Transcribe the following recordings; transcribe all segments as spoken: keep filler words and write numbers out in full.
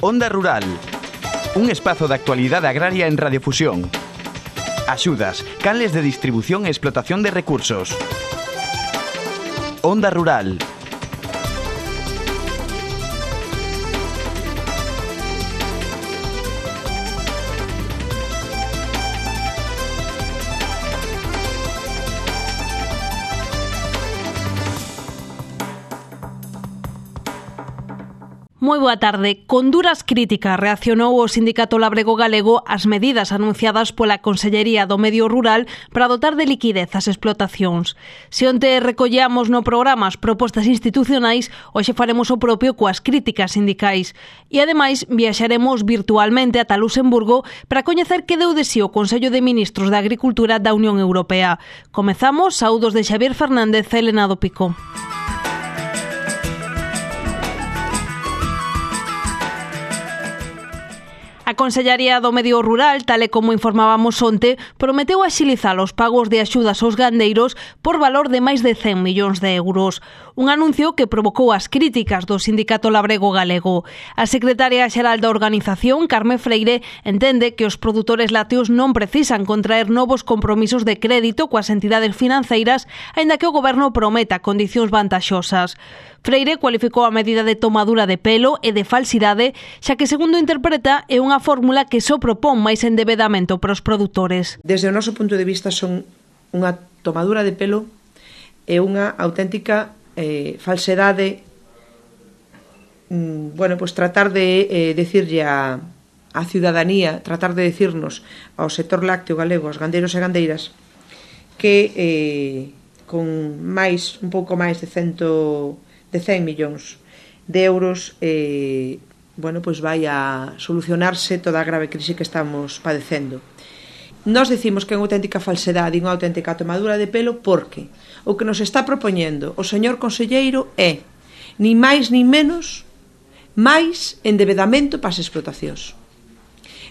Onda Rural, un espazo de actualidade agraria en Radiofusión. Axudas, canles de distribución e explotación de recursos. Onda Rural. Moi boa tarde. Con duras críticas reaccionou o Sindicato Labrego Galego ás medidas anunciadas pola Consellería do Medio Rural para dotar de liquidez as explotacións. Se onte recollamos no programa as propostas institucionais, hoxe faremos o propio coas críticas sindicais. E ademais viaxaremos virtualmente ata Luxemburgo para coñecer que deu de si o Consello de Ministros da Agricultura da Unión Europea. Comezamos, saúdos de Xavier Fernández e Elena do Pico. A Consellería do Medio Rural, tal e como informábamos onte, prometeu axilizar os pagos de axudas aos gandeiros por valor de máis de cen millóns de euros. Un anuncio que provocou as críticas do Sindicato Labrego Galego. A secretaria xeral da organización, Carme Freire, entende que os produtores lácteos non precisan contraer novos compromisos de crédito coas entidades financeiras, aínda que o goberno prometa condicións vantaxosas. Freire cualificou a medida de tomadura de pelo e de falsidade, xa que, segundo interpreta, é unha fórmula que só propón máis endebedamento para os produtores. Desde o noso punto de vista son unha tomadura de pelo e unha auténtica eh, falsedade, mm, bueno, pues tratar de eh, decirlle a, a ciudadanía, tratar de decirnos ao sector lácteo galego, aos gandeiros e gandeiras, que eh, con máis, un pouco máis de cento de cen millóns de euros eh, bueno, pois vai a solucionarse toda a grave crise que estamos padecendo. Nós decimos que é unha auténtica falsedade e unha auténtica tomadura de pelo porque o que nos está propoñendo o señor conselleiro é ni máis ni menos máis endebedamento para as explotacións.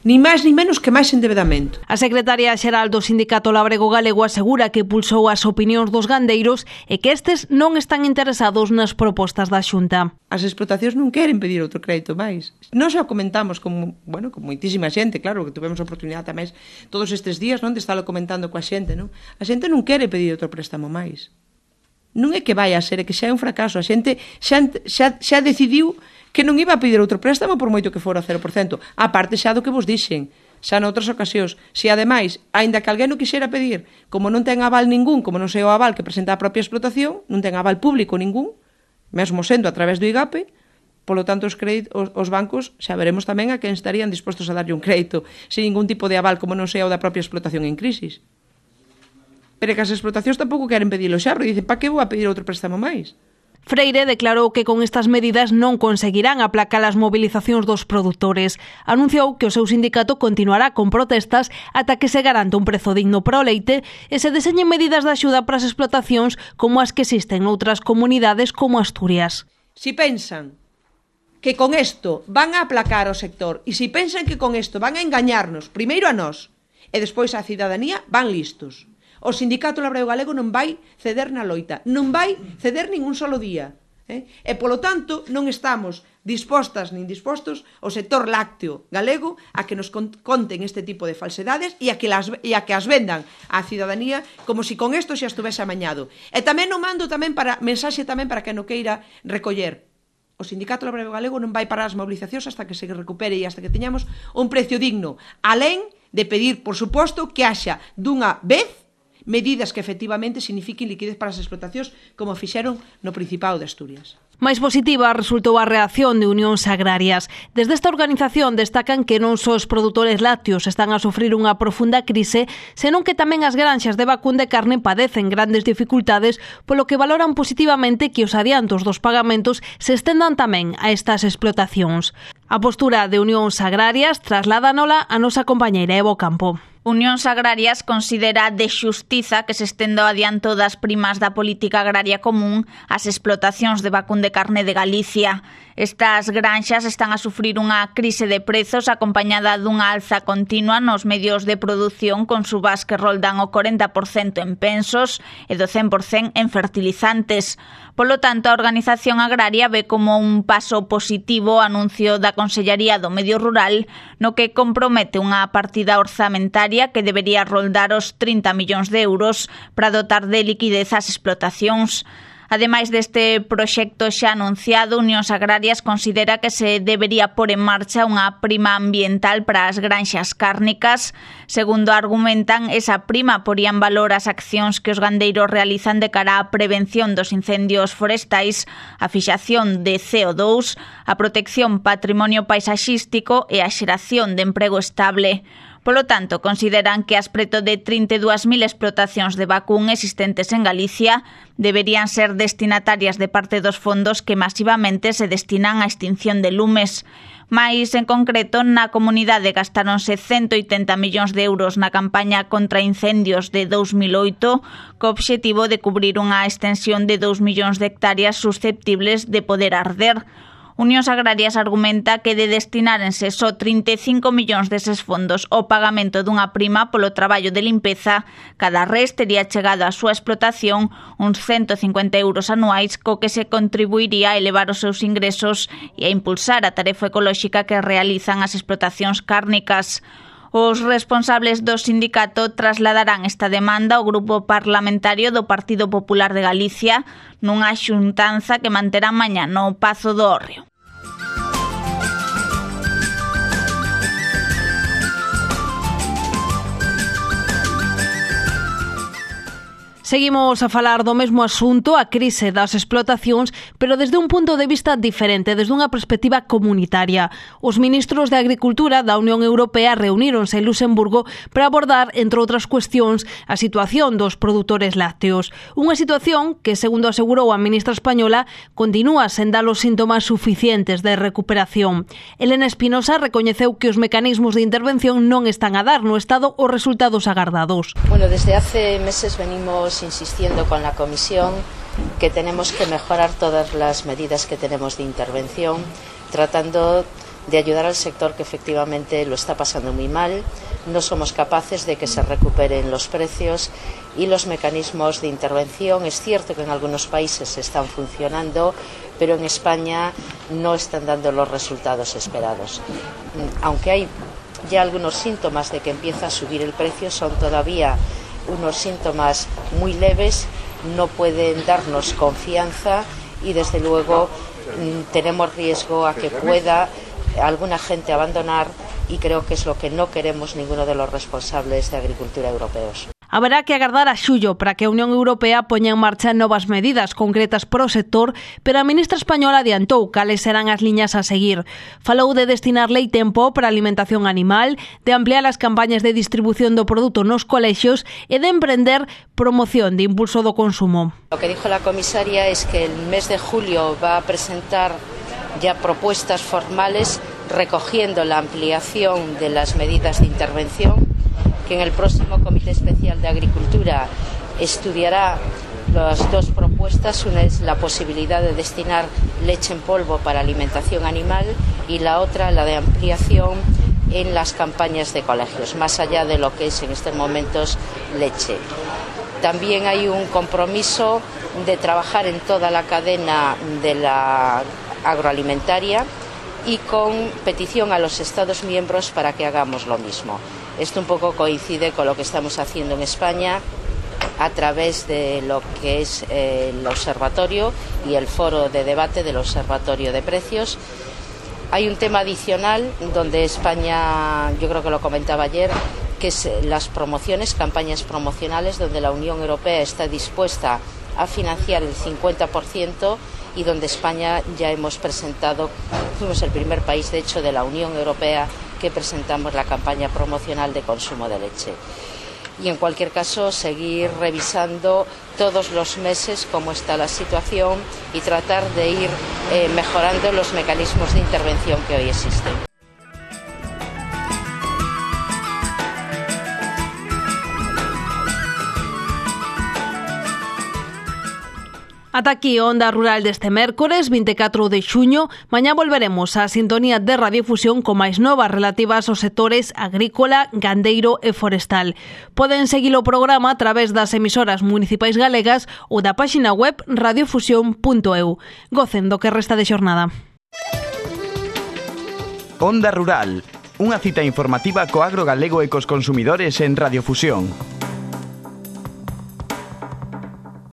Ni máis ni menos que máis endebedamento. A secretaria xeral do Sindicato Labrego Galego asegura que pulsou as opinións dos gandeiros e que estes non están interesados nas propostas da Xunta. As explotacións non queren pedir outro crédito máis. Nós xa comentamos con, bueno, con moitísima xente, claro, que tuvemos a oportunidade tamén todos estes días, non, de estarlo comentando coa xente, non? A xente non quere pedir outro préstamo máis. Non é que vai a ser, é que xa é un fracaso. A xente xa, xa, xa decidiu que non iba a pedir outro préstamo por moito que fora cero por cento. A parte xa do que vos dixen, xa noutras ocasións. Se ademais, aínda que alguén o quixera pedir, como non ten aval ningún, como non sei o aval que presenta a propia explotación, non ten aval público ningún, mesmo sendo a través do I G A P E, polo tanto os, crédito, os, os bancos xa veremos tamén a quen estarían dispostos a darlle un crédito sin ningún tipo de aval, como non sei o da propia explotación en crisis. Pero que as explotacións tampouco queren pedilo xa, porque dicen, pa que vou a pedir outro préstamo máis? Freire declarou que con estas medidas non conseguirán aplacar as movilizacións dos produtores. Anunciou que o seu sindicato continuará con protestas ata que se garanta un prezo digno para o leite e se deseñen medidas de axuda para as explotacións como as que existen noutras comunidades como Asturias. Si pensan que con isto van a aplacar o sector e si pensan que con isto van a engañarnos, primeiro a nós e despois á cidadanía, van listos. O Sindicato Labrego Galego non vai ceder na loita, non vai ceder ningún solo día. Eh? E, polo tanto, non estamos dispostas nin dispostos o sector lácteo galego a que nos conten este tipo de falsedades e a que, las, e a que as vendan á cidadanía como si con isto xa estuvese amañado. E tamén non mando tamén para mensaxe tamén para que non queira recoller. O Sindicato Labrego Galego non vai parar as movilizacións hasta que se recupere e hasta que teñamos un precio digno. Alén de pedir, por suposto, que haxa dunha vez medidas que efectivamente signifiquen liquidez para as explotacións como fixeron no Principado de Asturias. Máis positiva resultou a reacción de Unións Agrarias. Desde esta organización destacan que non só os produtores lácteos están a sufrir unha profunda crise, senón que tamén as granxas de vacún de carne padecen grandes dificultades, polo que valoran positivamente que os adiantos dos pagamentos se estendan tamén a estas explotacións. A postura de Unións Agrarias trasládanos a nosa compañeira Evo Campo. Unións Agrarias considera de xustiza que se estenda o adianto das primas da política agraria común ás explotacións de vacún de carne de Galicia. Estas granxas están a sufrir unha crise de prezos acompañada dunha alza continua nos medios de produción con subas que roldan o corenta por cento en pensos e do cen por cento en fertilizantes. Polo tanto, a Organización Agraria ve como un paso positivo o anuncio da Consellaría do Medio Rural no que compromete unha partida orzamentaria que debería roldar os trinta millóns de euros para dotar de liquidez ás explotacións. Ademais deste proxecto xa anunciado, Unións Agrarias considera que se debería pôr en marcha unha prima ambiental para as granxas cárnicas. Segundo argumentan, esa prima poría en valor as accións que os gandeiros realizan de cara á prevención dos incendios forestais, a fixación de C O dous, a protección patrimonio paisaxístico e a xeración de emprego estable. Polo tanto, consideran que as preto de trinta e dúas mil explotacións de vacún existentes en Galicia deberían ser destinatarias de parte dos fondos que masivamente se destinan á extinción de lumes. Mais, en concreto, na comunidade gastáronse ciento oitenta millóns de euros na campaña contra incendios de dous mil oito, co obxectivo de cubrir unha extensión de dous millóns de hectáreas susceptibles de poder arder. Unións Agrarias argumenta que de destinárense só trinta e cinco millóns deses fondos ao pagamento dunha prima polo traballo de limpeza, cada res tería chegado á súa explotación uns ciento cincuenta euros anuais co que se contribuiría a elevar os seus ingresos e a impulsar a tarefa ecolóxica que realizan as explotacións cárnicas. Os responsables do sindicato trasladarán esta demanda ao Grupo Parlamentario do Partido Popular de Galicia nunha xuntanza que manterá mañá no Pazo do Hórreo. Seguimos a falar do mesmo asunto, a crise das explotacións, pero desde un punto de vista diferente, desde unha perspectiva comunitaria. Os ministros de Agricultura da Unión Europea reuníronse en Luxemburgo para abordar, entre outras cuestións, a situación dos produtores lácteos. Unha situación que, segundo asegurou a ministra española, continúa sen dar os síntomas suficientes de recuperación. Elena Espinosa recoñeceu que os mecanismos de intervención non están a dar no Estado os resultados agardados. Bueno, desde hace meses venimos insistiendo con la Comisión que tenemos que mejorar todas las medidas que tenemos de intervención, tratando de ayudar al sector que efectivamente lo está pasando muy mal. No somos capaces de que se recuperen los precios y los mecanismos de intervención. Es cierto que en algunos países están funcionando, pero en España no están dando los resultados esperados. Aunque hay ya algunos síntomas de que empieza a subir el precio, son todavía unos síntomas muy leves, no pueden darnos confianza y desde luego tenemos riesgo a que pueda alguna gente abandonar y creo que es lo que no queremos ninguno de los responsables de agricultura europeos. Haberá que agardar a xullo para que a Unión Europea poña en marcha novas medidas concretas para o sector, pero a ministra española adiantou cales serán as liñas a seguir. Falou de destinar lei tempo para a alimentación animal, de ampliar as campañas de distribución do produto nos colexios e de emprender promoción de impulso do consumo. Lo que dijo la comisaria es que el mes de julio va a presentar ya propuestas formales recogiendo la ampliación de las medidas de intervención, que en el próximo Comité Especial de Agricultura estudiará las dos propuestas. Una es la posibilidad de destinar leche en polvo para alimentación animal y la otra la de ampliación en las campañas de colegios, más allá de lo que es en estos momentos leche. También hay un compromiso de trabajar en toda la cadena de la agroalimentaria y con petición a los Estados miembros para que hagamos lo mismo. Esto un poco coincide con lo que estamos haciendo en España a través de lo que es eh, el observatorio y el foro de debate del Observatorio de Precios. Hay un tema adicional donde España, yo creo que lo comentaba ayer, que es las promociones, campañas promocionales, donde la Unión Europea está dispuesta a financiar el cincuenta por ciento y donde España ya hemos presentado, fuimos el primer país de hecho de la Unión Europea que presentamos la campaña promocional de consumo de leche. Y en cualquier caso seguir revisando todos los meses cómo está la situación y tratar de ir eh, mejorando los mecanismos de intervención que hoy existen. Ata aquí a Onda Rural deste mércores vinte e catro de xuño. Mañá volveremos á sintonía de Radiofusión con máis novas relativas aos sectores agrícola, gandeiro e forestal. Poden seguir o programa a través das emisoras municipais galegas ou da páxina web radiofusión punto e u. Gocen do que resta de xornada. Onda Rural, unha cita informativa co agro galego e cos consumidores en Radiofusión.